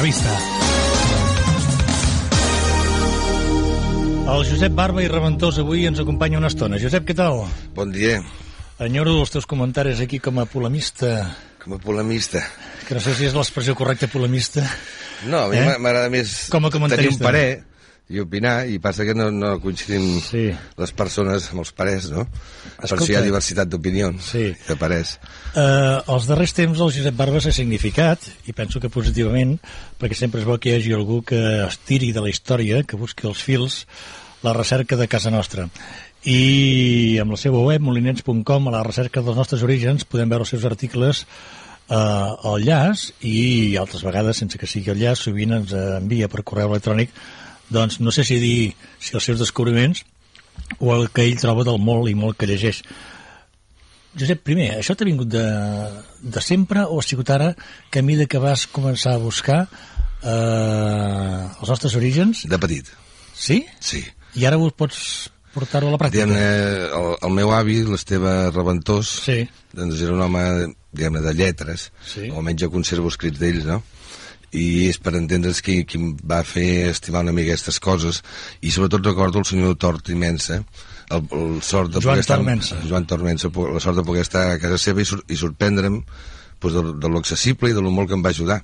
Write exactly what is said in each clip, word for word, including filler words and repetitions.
l'entrevista. El Josep Barba i Reventós avui ens acompanya una estona. Josep, què tal? Bon dia. Enyoro els teus comentaris aquí com a polemista. Com a polemista. Que no sé si és l'expressió correcta, polemista. No, a mi eh? m'agrada més com a tenir un parer i opinar, i passa que no, no coincidim sí. les persones amb els parers, no? Escolta, per això hi ha diversitat d'opinions, sí. de parers. Uh, els darrers temps el Josep Barba s'ha significat, i penso que positivament, perquè sempre és bo que hi hagi algú que es tiri de la història, que busqui els fils, la recerca de casa nostra. I amb la seva web, molinets punt com, a la recerca dels nostres orígens, podem veure els seus articles eh, al llaç, i altres vegades, sense que sigui al llaç, sovint ens envia per correu electrònic, doncs no sé si dir si els seus descobriments o el que ell troba del molt i molt que llegeix. Josep, primer, això t'ha vingut de, de sempre o ha sigut ara que a mesura que vas començar a buscar eh, els nostres orígens? De petit. Sí? Sí. I ara ho pots portar-ho a la pràctica? Diguem-ne, el, el meu avi, l'Esteve Reventós, sí. doncs era un home, diguem-ne, de lletres, sí. o almenys jo conservo escrits d'ells, no? I és per entendre's qui, qui em va fer estimar una mica aquestes coses, i sobretot recordo el senyor Tort Imensa, el, el sort de Joan poder estar, Tormensa. Joan Tormensa, la sort de poder estar a casa seva i, sur, i sorprendre'm pues, de, de lo accessible i de lo molt que em va ajudar.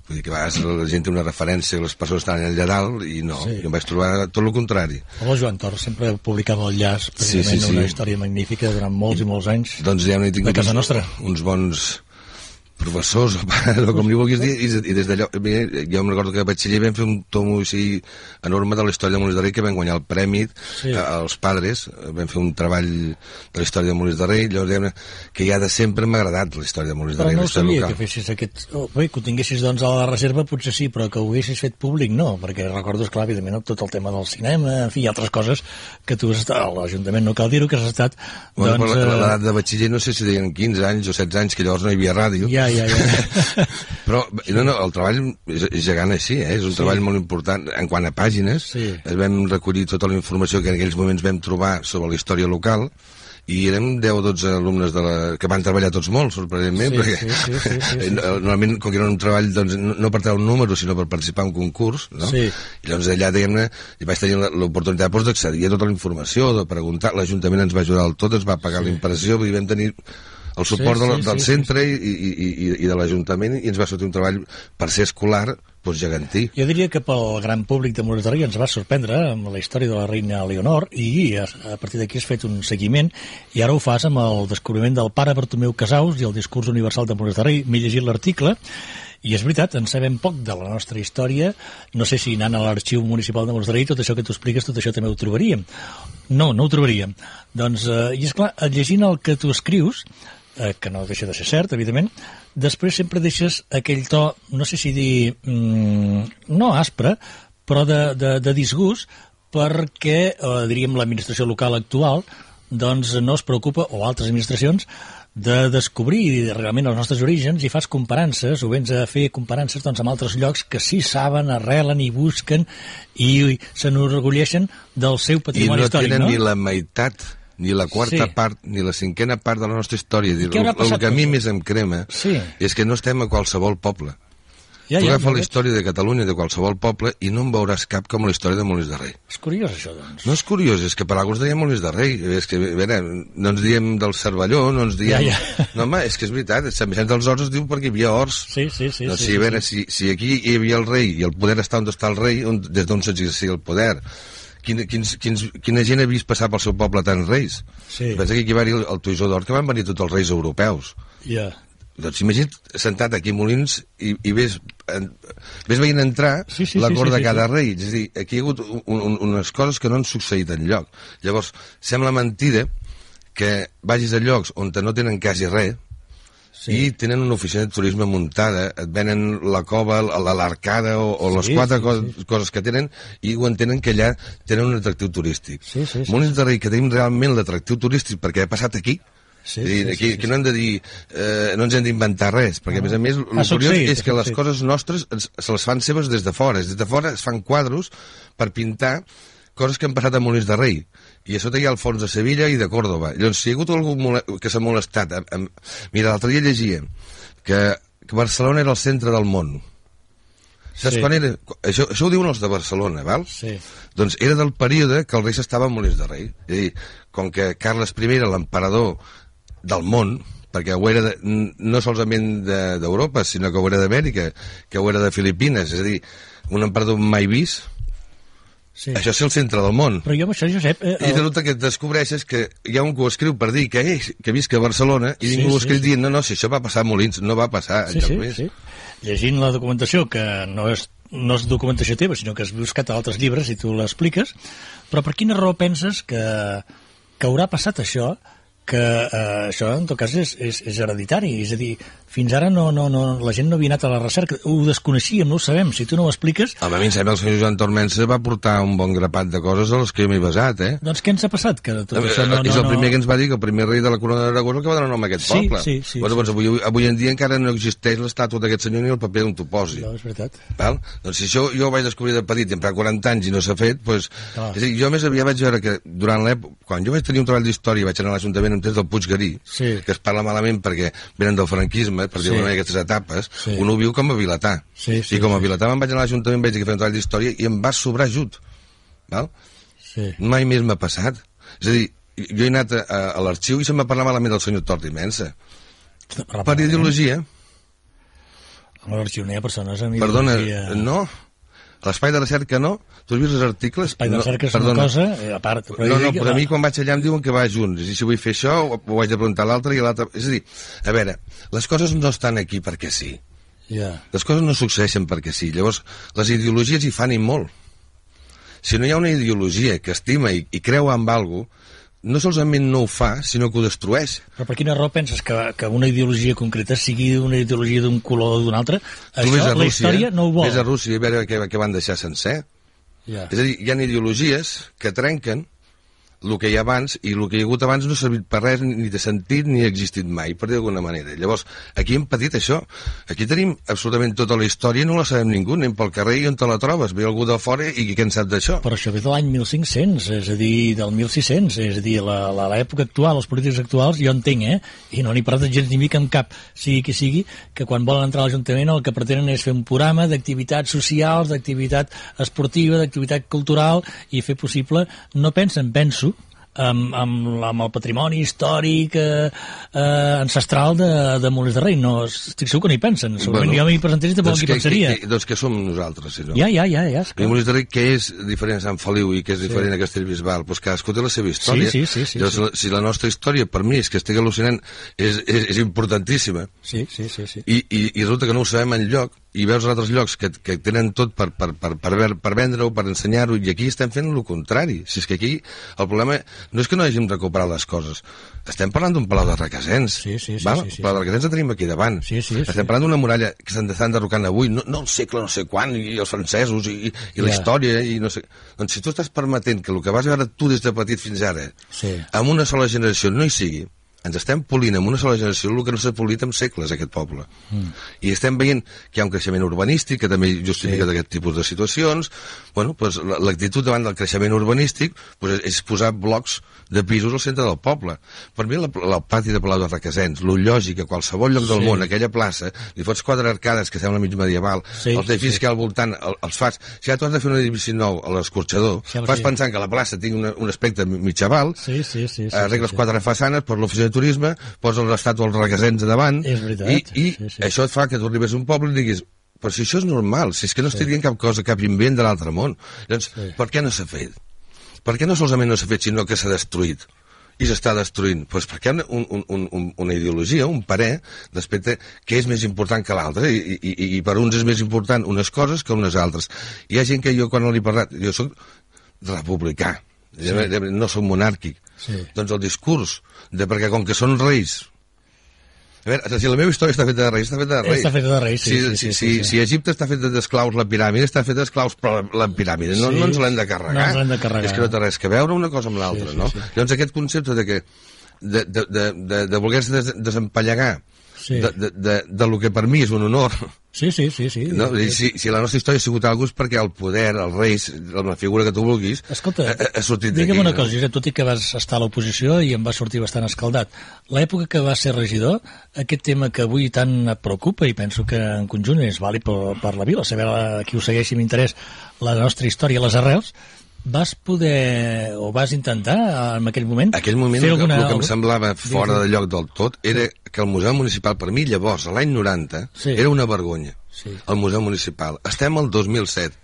Vull dir que a vegades la gent té una referència, les persones estan allà dalt, i no, sí. jo em vaig trobar tot el contrari. El Joan Tort sempre publicava al llaç, sí, sí, sí. una història magnífica durant molts i molts anys doncs, ja de casa nostra. Uns bons professors, o com li vulguis dir, i, i des d'allò, jo em recordo que a batxiller vam fer un tomo així enorme de la història de Molins de Rei, que vam guanyar el premi sí. als padres, vam fer un treball de la història de Molins de Rei, llavors diguem que ja de sempre m'ha agradat la història de Molins de Rei. Però no sabia local. Que fessis aquest... Oh, bé, que ho tinguessis doncs a la reserva potser sí, però que ho haguessis fet públic no, perquè recordo, esclar, evidentment, tot el tema del cinema, en fi, altres coses que tu has estat, a l'Ajuntament no cal dir-ho, que has estat... Bueno, doncs, a l'edat de batxiller no sé si deien quinze anys o setze anys, que llavors no hi havia ràdio. Ja, ja, ja. Però no, no, el treball és, és gegant així, eh? És un sí. treball molt important en quant a pàgines. Sí. Vam recollir tota la informació que en aquells moments vam trobar sobre la història local, i érem deu o dotze alumnes de la... que van treballar tots molt, sorprenentment, sí, perquè sí, sí, sí, sí, sí. normalment, com que era un treball doncs, no per treure un número, sinó per participar en un concurs, no? Sí. I llavors allà, diguem-ne, vaig tenir l'oportunitat doncs, d'accedir a tota la informació, de preguntar, l'Ajuntament ens va ajudar al tot, ens va pagar sí. la impressió, vull dir, vam tenir el suport sí, sí, del sí, centre sí, sí. I, i, i, i de l'Ajuntament, i ens va sortir un treball per ser escolar, doncs gegantí. Jo diria que pel gran públic de Molins de Rei ens va sorprendre amb la història de la reina Leonor, i a, a partir d'aquí has fet un seguiment, i ara ho fas amb el descobriment del pare Bartomeu Casaus i el discurs universal de Molins de Rei. M'he llegit l'article, i és veritat, en sabem poc de la nostra història. No sé si anant a l'arxiu municipal de Molins de Rei tot això que tu expliques, tot això també ho trobaríem. No, no ho trobaríem. Doncs, eh, i esclar, llegint el que tu escrius, eh, que no deixa de ser cert, evidentment, després sempre deixes aquell to, no sé si dir, mm, no aspre, però de, de, de disgust, perquè, eh, diríem, l'administració local actual doncs no es preocupa, o altres administracions, de descobrir realment els nostres orígens, i fas comparances, o vens a fer comparances doncs, amb altres llocs que sí saben, arrelen i busquen i s'enorgulleixen del seu patrimoni històric. I no tenen no? ni la meitat, ni la quarta sí. part, ni la cinquena part de la nostra història. Dir, el, el que a mi més em crema sí. és que no estem a qualsevol poble. Ja, tu ja, agafes la història de Catalunya, de qualsevol poble, i no en veuràs cap com la història de Molins de Rei. És curiós, això, doncs. No és curiós, és que per alguns diem Molins de Rei. És que, a veure, no ens diem del Cervelló, no ens diem... Ja, ja. No, home, és que és veritat, Sant Vicenç dels Horts es diu perquè hi havia horts. Sí, sí, sí. No, sí, sí, a veure, sí. Si, si aquí hi havia el rei, i el poder està on està el rei, on, des d'on s'exercia el poder... Quina, quins, quins, quina gent ha vist passar pel seu poble tants reis? Sí. Pensa que aquí va haver el, el Toisó d'Or, que van venir tots els reis europeus. Ja. Yeah. Doncs imagina't sentat aquí a Molins i, i ves, en, ves veient entrar sí, sí, la cort sí, sí, de cada sí, sí. rei. És a dir, aquí hi ha hagut un, un, unes coses que no han succeït enlloc. Llavors, sembla mentida que vagis a llocs on no tenen quasi res, sí. i tenen una oficina de turisme muntada, et venen la cova, l'arcada o, o les sí, quatre sí, co sí. coses que tenen, i ho entenen que allà tenen un atractiu turístic. Sí, sí, sí, Molins de Rei, que tenim realment l'atractiu turístic perquè ha passat aquí. Sí, sí, sí, aquí, sí, sí. Aquí no hem de dir, eh, no ens hem d'inventar res, perquè no. a més a més el curiós és que les coses nostres se les fan seves des de fora. Des de fora es fan quadros per pintar coses que han passat a Molins de Rei, i a sota hi ha el fons de Sevilla i de Còrdova. Llavors, si hi ha hagut algú que s'ha molestat... Amb, amb... Mira, l'altre dia llegia que, que Barcelona era el centre del món. Saps sí. quan era? Això, això ho diuen els de Barcelona, val? Sí. Doncs era del període que el rei s'estava a Molins de Rei. És a dir, com que Carles I era l'emperador del món, perquè ho era de, no solament d'Europa, de, sinó que ho era d'Amèrica, que ho era de Filipines, és a dir, un emperador mai vist, sí. Això és el centre del món. Però jo amb això, Josep... Eh, el... I resulta que et descobreixes que hi ha un que ho escriu per dir que, eh, que visca a Barcelona i sí, ningú ho escriu sí, dient, no, no, si això va passar a Molins, no va passar sí, enlloc sí, més. Sí. Llegint la documentació, que no és, no és documentació teva, sinó que has buscat a altres llibres i tu l'expliques, però per quina raó penses que, que haurà passat això, que eh, això en tot cas és, és, és hereditari, és a dir, fins ara no, no, no, la gent no havia anat a la recerca, ho desconeixíem, no ho sabem, si tu no ho expliques... A mi em sembla que el senyor Joan Tormensa va portar un bon grapat de coses a les que jo m'he basat, eh? Doncs què ens ha passat? Que tot això no, no, és el no... primer que ens va dir que el primer rei de la corona d'Aragó és el que va donar nom a aquest sí, poble. Sí, sí, bueno, sí. Doncs avui, avui en dia encara no existeix l'estàtua d'aquest senyor ni el paper on t'ho posi. No, és veritat. Val? Doncs si això jo ho vaig descobrir de petit i em fa quaranta anys i no s'ha fet, doncs... Ah. És a dir, jo més aviat vaig veure que durant l'època... Quan jo vaig tenir un treball d'història vaig anar a l'Ajuntament en temps del Puiggarí, sí. que es parla malament perquè venen del franquisme, per dir-ho sí. aquestes etapes, sí. un ho viu com a vilatà. Sí, sí, I com a sí. vilatà me'n vaig anar a l'Ajuntament, vaig dir que feia un treball d'història i em va sobrar ajut. Val? Sí. Mai més m'ha passat. És a dir, jo he anat a, a, a l'arxiu i se'm va parlar malament del senyor Tort Imensa. Per ideologia. A l'arxiu no hi ha persones amb ideologia... Perdona, no? A l'espai de recerca no? Tu has vist els articles? L'espai de recerca no, és una perdona. cosa, eh, a part... Però no, no, però a mi quan vaig allà em diuen que va junts, i si vull fer això ho, ho haig de preguntar a l'altre i a l'altre... És a dir, a veure, les coses no estan aquí perquè sí. Yeah. Les coses no succeeixen perquè sí. Llavors, les ideologies hi fan i molt. Si no hi ha una ideologia que estima i, i creu en alguna cosa, no solament no ho fa, sinó que ho destrueix. Però per quina raó penses que, que una ideologia concreta sigui una ideologia d'un color o d'un altre? Tu això, Rússia, la història no ho vol. Ves a Rússia i a veure què, què van deixar sencer. Yeah. És a dir, hi ha ideologies que trenquen el que hi ha abans, i el que hi ha hagut abans no ha servit per res, ni de sentit, ni ha existit mai, per dir d'alguna manera. Llavors, aquí hem patit això. Aquí tenim absolutament tota la història, no la sabem ningú, anem pel carrer i on te la trobes, ve algú de fora i què en sap d'això? Però això ve de l'any mil cinc-cents, és a dir, del mil sis-cents, és a dir, l'època actual, els polítics actuals, jo entenc, eh? I no n'hi parlat gens ni mica amb cap, sigui qui sigui, que quan volen entrar a l'Ajuntament el que pretenen és fer un programa d'activitats socials, d'activitat esportiva, d'activitat cultural, i fer possible, no pensen, penso, Amb, amb, amb el patrimoni històric eh, eh, ancestral de, de Molins de Rei. No, estic segur que no hi pensen. Segurament bueno, jo m'hi presentés i tampoc doncs qui pensaria. Que, que, doncs que som nosaltres, si no? Ja, ja, ja. ja I Molins de Rei, què és diferent a Sant Feliu i què és diferent sí. a Castellbisbal? Doncs cadascú té la seva història. Sí, sí, sí, sí, Llavors, sí. Si la nostra història, per mi, és que estic al·lucinant, és, és, és importantíssima. Sí, sí, sí. sí. I, i, I resulta que no ho sabem enlloc, i veus altres llocs que, que tenen tot per, per, per, per, per vendre-ho, per ensenyar-ho, i aquí estem fent el contrari. Si és que aquí el problema no és que no hàgim recuperat les coses, estem parlant d'un palau de Requesens. Sí, sí, sí. Val? sí, sí. El palau de Requesens el tenim aquí davant. Sí, sí, estem sí. parlant d'una muralla que s'estan derrocant avui, no, no el segle no sé quan, i els francesos, i, i la yeah. història, i no sé... Doncs si tu estàs permetent que el que vas veure tu des de petit fins ara, sí. amb una sola generació no hi sigui, ens estem polint amb una sola generació el que no s'ha polit en segles, aquest poble. Mm. I estem veient que hi ha un creixement urbanístic que també justifica sí. aquest tipus de situacions. Bueno, pues, l'actitud davant del creixement urbanístic pues, és posar blocs de pisos al centre del poble. Per mi, el, el pati de Palau de Requesens, lo lògic, a qualsevol lloc del sí. món, aquella plaça, li fots quatre arcades que sembla mig medieval, sí, els edificis sí. que hi ha al voltant el, els fas... Si ja tu has de fer un edifici nou a l'escorxador, sí, fas sí. pensant que la plaça tingui una, un aspecte mitjaval, sí, sí, sí, sí, arregles sí, sí. quatre façanes per l'oficina de turisme, posa l'estàtua als Requesens davant, és veritat, i, i sí, sí. això et fa que tu arribes a un poble i diguis, però si això és normal, si és que no estic sí. dient cap cosa, cap invent de l'altre món. Llavors, sí. per què no s'ha fet? Per què no solament no s'ha fet, sinó que s'ha destruït? I s'està destruint? Doncs pues perquè hi ha un, un, un, una ideologia, un parer d'aspecte que és més important que l'altre, i, i, i per uns és més important unes coses que unes altres. Hi ha gent que jo, quan no li he parlat, jo soc republicà, sí. no soc monàrquic. Sí. Doncs el discurs de perquè com que són reis... A veure, si la meva història està feta de reis, està feta de reis. Està feta de reis, sí. Si, sí, si, sí, si, sí, sí. si Egipte està feta d'esclaus, la piràmide està feta d'esclaus, però la, la piràmide no, sí. no ens l'hem de carregar. No ens l'hem de carregar. És que no té res que veure una cosa amb l'altra, sí, sí, no? Sí. Llavors aquest concepte de que de, de, de, de, de voler-se des, desempallegar sí. de, de, de, de lo que per mi és un honor. Sí, sí, sí. sí. No? Si, si la nostra història ha sigut alguna cosa és perquè el poder, els reis, la figura que tu vulguis, Escolta, ha, ha sortit d'aquí. Digue'm una no? cosa, Josep, tot i que vas estar a l'oposició i em va sortir bastant escaldat, l'època que vas ser regidor, aquest tema que avui tant et preocupa, i penso que en conjunt és vàlid per, per la vila, saber la, qui ho segueixi amb interès, la nostra història, les arrels, vas poder, o vas intentar en aquell moment... En aquell moment fer el, alguna... el que em semblava fora de lloc del tot era que el Museu Municipal, per mi llavors, a l'any noranta, sí. era una vergonya. Sí. El Museu Municipal. Estem al dos mil set.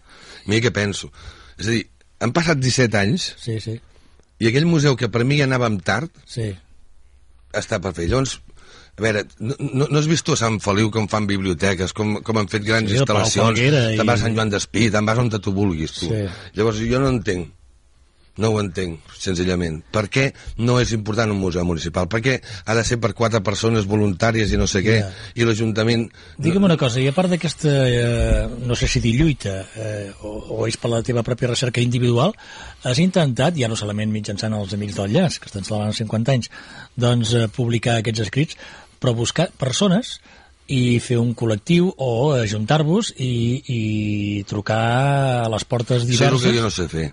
Mira què penso. És a dir, han passat disset anys sí, sí. i aquell museu que per mi ja anàvem tard sí. està per fer. Llavors, a veure, no, no, no has vist tu a Sant Feliu com fan biblioteques, com, com han fet grans sí, instal·lacions, te'n vas a Sant Joan d'Espí, te'n vas on tu vulguis, tu. Sí. Llavors, jo no entenc. No ho entenc, senzillament. Per què no és important un museu municipal? Per què ha de ser per quatre persones voluntàries i no sé què, yeah. i l'Ajuntament... Digue'm una cosa, i a part d'aquesta, eh, no sé si dir lluita, eh, o, o és per la teva pròpia recerca individual, has intentat, ja no solament mitjançant els Amics del Llaç, que estan celebrant cinquanta anys, doncs eh, publicar aquests escrits, però buscar persones i fer un col·lectiu o ajuntar-vos i, i trucar a les portes diverses... Això és el que jo no sé fer.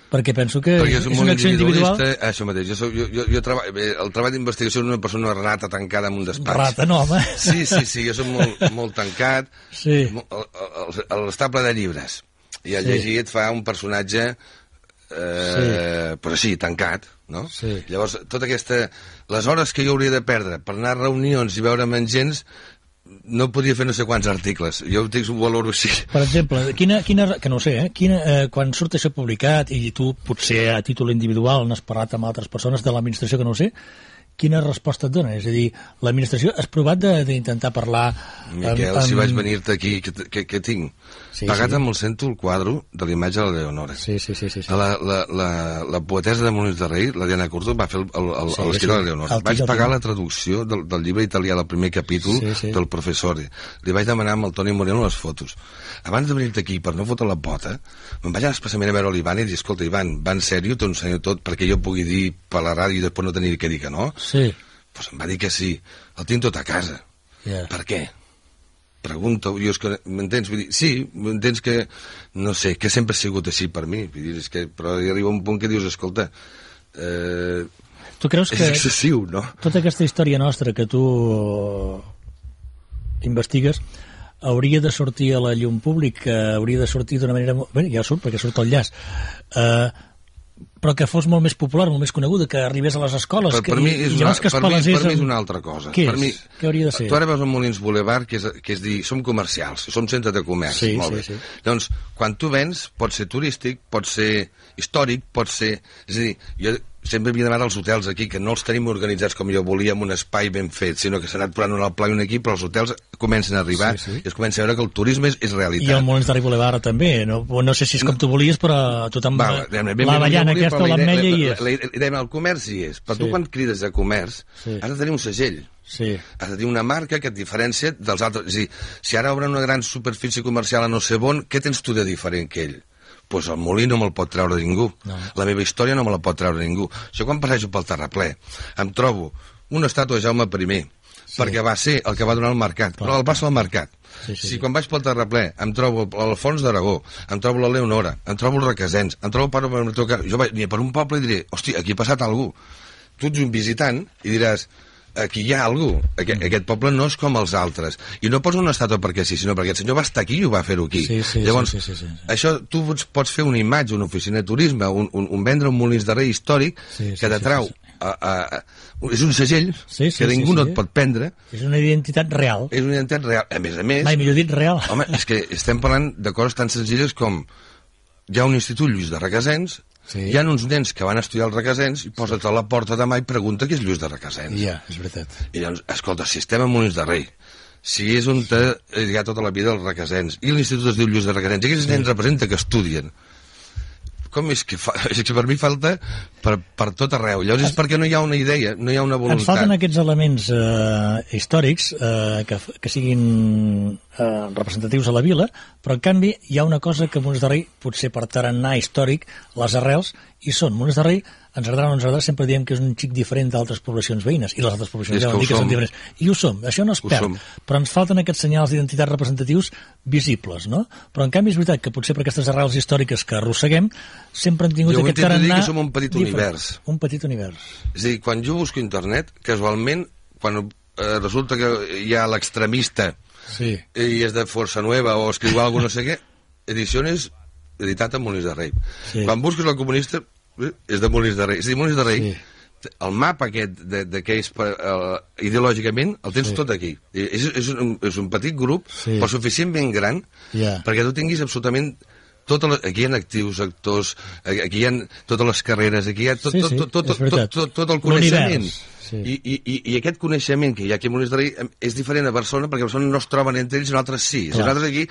Perquè penso que perquè és una acció individual... Això mateix, jo, soc, jo, jo, jo treball, el treball d'investigació és una persona rata tancada en un despatx. Rata, no, home. Sí, sí, sí, jo soc molt, molt tancat, sí. a l'estable de llibres. I el sí. llegir et fa un personatge, eh, sí. però sí, tancat, no? Sí. Llavors, tota aquesta... Les hores que jo hauria de perdre per anar a reunions i veure'm amb gens... no podria fer no sé quants articles. Jo ho tinc un valor així. Per exemple, quina, quina, que no ho sé, eh? Quina, eh, quan surt això publicat i tu potser a títol individual n'has parlat amb altres persones de l'administració que no ho sé, quina resposta et dona? És a dir, l'administració has provat d'intentar parlar... Miquel, amb, amb... si vaig venir-te aquí, què, què tinc? Sí, Pagat sí. amb el cento el quadre de l'imatge de la Leonora. Sí, sí, sí. sí, sí. La, la, la, la poetesa de Molins de Rei, la Diana Curto, va fer l'estil sí, sí. de la Leonora. Vaig pagar la traducció del, del llibre italià, del primer capítol, sí, sí. del Professore. Li vaig demanar amb el Toni Moreno les fotos. Abans de venir-te aquí, per no fotre la pota, me'n vaig anar especialment a veure l'Ivan i dir, escolta, Ivan, va en sèrio, t'ho ensenyo tot perquè jo pugui dir per la ràdio i després no tenir que dir que no? Sí. Pues em va dir que sí. El tinc tot a casa. Yeah. Per què? Pregunto. Jo és que, m'entens? Vull dir, sí, m'entens que, no sé, que sempre ha sigut així per mi. Vull dir, és que, però hi arriba un punt que dius, escolta, eh, tu creus és que excessiu, no? Tota aquesta història nostra que tu investigues hauria de sortir a la llum pública, hauria de sortir d'una manera... Bé, ja surt, perquè surt el llaç. Eh... però que fos molt més popular, molt més coneguda, que arribés a les escoles. Per, que, per, mi, és i, una, que per, mi, per mi és una altra cosa. Què per és? Mi, Què hauria de ser? Tu ara veus el Molins Boulevard, que és, que és dir, som comercials, som centre de comerç. Sí, molt sí, bé. sí. Doncs, quan tu vens, pot ser turístic, pot ser històric, pot ser... És a dir, jo sempre havia demanat als hotels aquí, que no els tenim organitzats com jo volia, amb un espai ben fet, sinó que s'ha anat posant un pla i un equip, però els hotels comencen a arribar sí, sí. i es comença a veure que el turisme és, és realitat. I el Molins de Rei Boulevard també, no, no sé si és com tu volies, però tothom... Va, l'avellana aquesta o l'ametlla hi és. Dèiem, el comerç hi és, però sí. tu quan crides a comerç sí. has de tenir un segell. Sí. Has de tenir una marca que et diferencia dels altres. És a dir, si ara obren una gran superfície comercial a no sé on, què tens tu de diferent que ell? Doncs el molí no me'l pot treure ningú. No. La meva història no me la pot treure ningú. Jo quan passejo pel terraplè em trobo una estàtua de Jaume primer, sí. perquè va ser el que va donar el mercat, Clar. però el va ser el mercat. Sí, sí, si quan vaig pel terraplè em trobo l'Alfons d'Aragó, em trobo la Leonora, em trobo els Requesens, em trobo per, per, jo vaig per un poble i diré, hosti, aquí ha passat algú. Tu ets un visitant i diràs, aquí hi ha algú, aquest, aquest poble no és com els altres, i no pots una estàtua perquè sí, sinó perquè el senyor va estar aquí i ho va fer-ho aquí. Sí, sí, Llavors, sí, sí, sí, sí. això tu pots fer una imatge, una oficina de turisme, un, un, un vendre un Molins de Rei històric sí, sí, que t'atrau sí, sí, sí. A, a, a, és un segell sí, sí, que ningú sí, sí. no et pot prendre. És una identitat real. És una identitat real. A més a més... Mai millor dit real. Home, és que estem parlant de coses tan senzilles com hi ha un institut Lluís de Requesens. Sí. Hi ha uns nens que van estudiar els Requesens i posa't a la porta demà i pregunta qui és Lluís de Requesens. Ja, és veritat. I llavors, escolta, si estem a Molins de Rei, si és on te, hi ha tota la vida els Requesens, i l'institut es diu Lluís de Requesens, i aquests sí. nens representa que estudien, com és que fa... És que per mi falta per, per tot arreu. Llavors és perquè no hi ha una idea, no hi ha una voluntat. Ens falten aquests elements eh, històrics eh, que, que siguin eh, representatius a la vila, però en canvi hi ha una cosa que Molins de Rei, potser per tarannà històric, les arrels hi són. Molins de Rei ens agradarà o no ens agradarà, sempre diem que és un xic diferent d'altres poblacions veïnes, i les altres poblacions ja van dir que són diferents. I ho som, això no es perd, però ens falten aquests senyals d'identitat representatius visibles, no? Però en canvi és veritat que potser per aquestes arrels històriques que arrosseguem sempre hem tingut aquest tarannà... Jo vull dir que som un petit univers. Un petit univers. És a dir, quan jo busco internet, casualment, quan eh, resulta que hi ha l'extremista sí. i és de Força Nueva o escriu alguna no sé què, edicions editat a Molins de Rei. Sí. Quan busques el comunista, eh, és de Molins de Rei. És a dir, Molins de Rei, sí. el mapa aquest de, de què és per, uh, ideològicament, el tens sí. tot aquí. És, és, un, és un petit grup, sí. però suficientment gran, yeah. perquè tu tinguis absolutament... Totes, aquí hi ha actius, actors, aquí hi ha totes les carreres, aquí hi ha tot, sí, sí, tot, tot, tot, tot, tot, tot el coneixement. Sí. I, i, I aquest coneixement que hi ha aquí a Molins de Rei és diferent a Barcelona, perquè a Barcelona no es troben entre ells i nosaltres sí. Clar. Nosaltres aquí,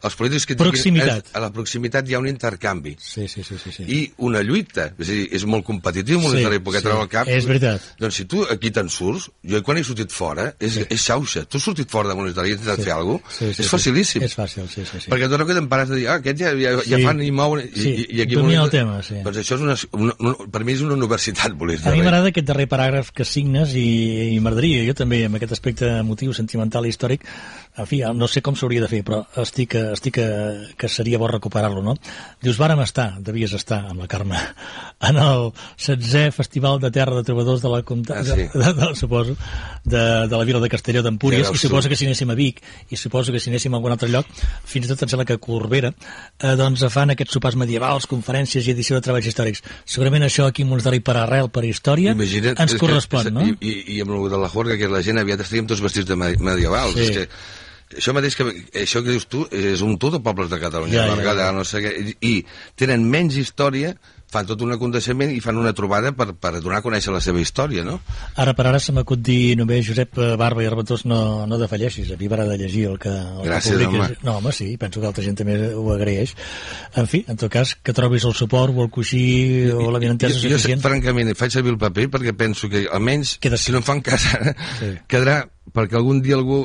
els polítics que proximitat. Tinguin, a la proximitat hi ha un intercanvi. Sí, sí, sí, sí, sí. I una lluita. És a dir, és molt competitiu Molins sí, de Rei, perquè sí. treu el cap. És veritat. Doncs si tu aquí te'n surts, jo quan he sortit fora, és, sí. és xauxa. Tu has sortit fora de Molins de Rei i has intentat sí. fer alguna cosa, sí, sí, és facilíssim. És fàcil, sí, sí, sí. Perquè tu no queden parats de dir, ah, aquests ja, ja, ja sí. fan i mouen... I, sí. i, i aquí domina el tema, sí. Doncs això és una, una, una, per mi és una universitat, Molins de Rei. A mi m'agrada aquest darrer paràgraf que signes i i m'agradaria, jo també, amb aquest aspecte emotiu, sentimental i històric, en fi, no sé com s'hauria de fer, però estic, estic que, que seria bo recuperar-lo, no? Dius, vàrem estar, devies estar, amb la Carme, en el setzè Festival de Terra de Trobadors de la Comtat, ah, sí. de, de, de, suposo, de, de la vila de Castelló d'Empúries, sí, i suposo que si anéssim a Vic, i suposo que si anéssim a algun altre lloc, fins i tot em sembla que a Corbera, eh, doncs fan aquests sopars medievals, conferències i edició de treballs històrics. Segurament això aquí a Molins de Rei per arrel, per història, Imagina't, ens correspon, que, no? I, i, i amb el de la Jorga, que la gent aviat estaríem tots vestits de medievals. Sí. És que això mateix que, això que dius tu, és un tot de pobles de Catalunya, ja, ja, ja. no sé què, i, i tenen menys història, fan tot un aconteixement i fan una trobada per, per donar a conèixer la seva història, no? Ara per ara se m'acut dir només, Josep Barba i Reventós, no, no defalleixis, a mi m'agrada llegir el que, el Gràcies, que home. No, home, sí, penso que altra gent també ho agraeix. En fi, en tot cas, que trobis el suport o el coixí o la vinentesa suficient. Jo, francament, faig servir el paper perquè penso que almenys, si no em fan cas ara, sí. quedarà perquè algun dia algú...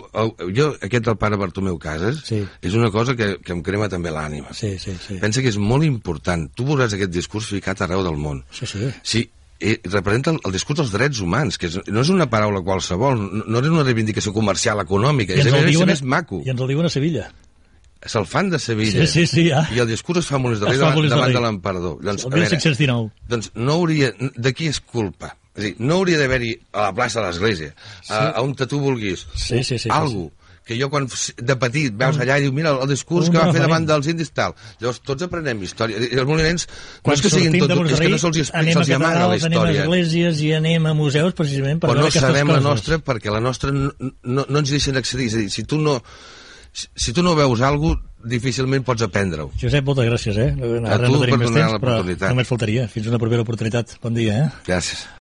Jo, aquest del pare Bartomeu Casas, sí. és una cosa que, que em crema també l'ànima. Sí, sí, sí. Pensa que és molt important. Tu veuràs aquest discurs ficat arreu del món. Sí, sí. Sí, eh, representa el, el discurs dels drets humans, que és, no és una paraula qualsevol, no, no és una reivindicació comercial econòmica, és, és, és més maco. I ens el diuen a Sevilla. Se'l fan de Sevilla. Sí, sí, sí, ja. I el discurs es fa Molins de Rei davant, davant de l'emperador. Doncs, el mil cinc-cents dinou. Doncs no hauria... De qui és culpa? És a dir, no hauria d'haver-hi a la plaça de l'Església, sí. a, a on tu vulguis, sí, sí, sí, algú sí, sí. que jo quan de petit veus allà i diu, mira, el discurs que va fer davant dels indis tal. Llavors tots aprenem història. I els molinencs no és que siguin tots, és que no se'ls explica, se'ls amaga la història. Anem a esglésies i anem a museus precisament per veure aquestes coses. Però no sabem la nostra perquè la nostra no, no, no ens deixen accedir. És a dir, si tu no... Si tu no veus alguna cosa, difícilment pots aprendre-ho. Josep, moltes gràcies, eh? A tu per donar l'oportunitat. Només faltaria. Fins una propera oportunitat. Bon dia, eh? Gràcies.